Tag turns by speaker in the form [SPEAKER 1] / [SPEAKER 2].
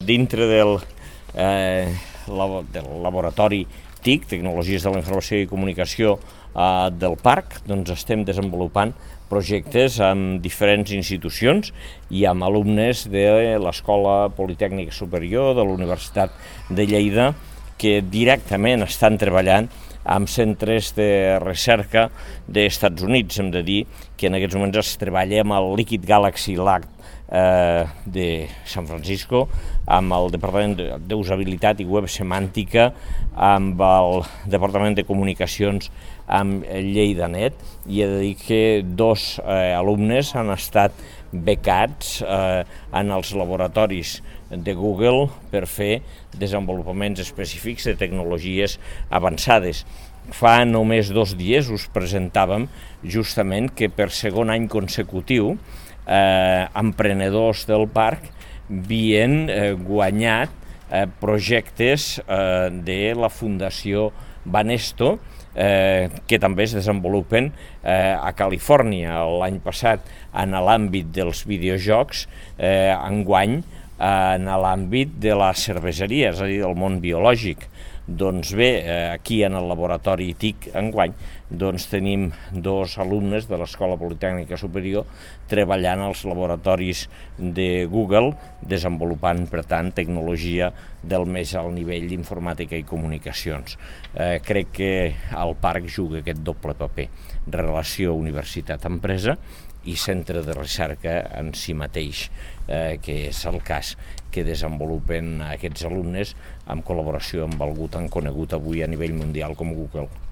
[SPEAKER 1] dintre del laboratori TIC, Tecnologies de la Informació i Comunicació del Parc, doncs estem desenvolupant projectes amb diferents institucions i amb alumnes de l'Escola Politècnica Superior de la Universitat de Lleida que directament estan treballant amb centres de recerca dels Estats Units. Hem de dir que en aquests moments es treballa amb el Liquid Galaxy Lab de San Francisco, amb el Departament d'Usabilitat i Web Semàntica, amb el Departament de Comunicacions, amb LleidaNet, i he de dir que dos alumnes han estat becats en els laboratoris de Google per fer desenvolupaments específics de tecnologies avançades. Fa només 2 dies us presentàvem justament que per segon any consecutiu emprenedors del parc havien guanyat projectes de la Fundació Banesto que també es desenvolupen a Califòrnia. L'any passat en l'àmbit dels videojocs, enguany en l'àmbit de la cerveseria, és a dir, del món biològic. Doncs bé, aquí en el laboratori TIC enguany tenim 2 alumnes de l'Escola Politècnica Superior treballant als laboratoris de Google, desenvolupant, per tant, tecnologia del més alt nivell d'informàtica i comunicacions. Crec que el parc juga aquest doble paper, relació universitat-empresa i centre de recerca en si mateix, que és el cas que desenvolupen aquests alumnes en col·laboració amb algú tan conegut avui a nivell mundial com Google.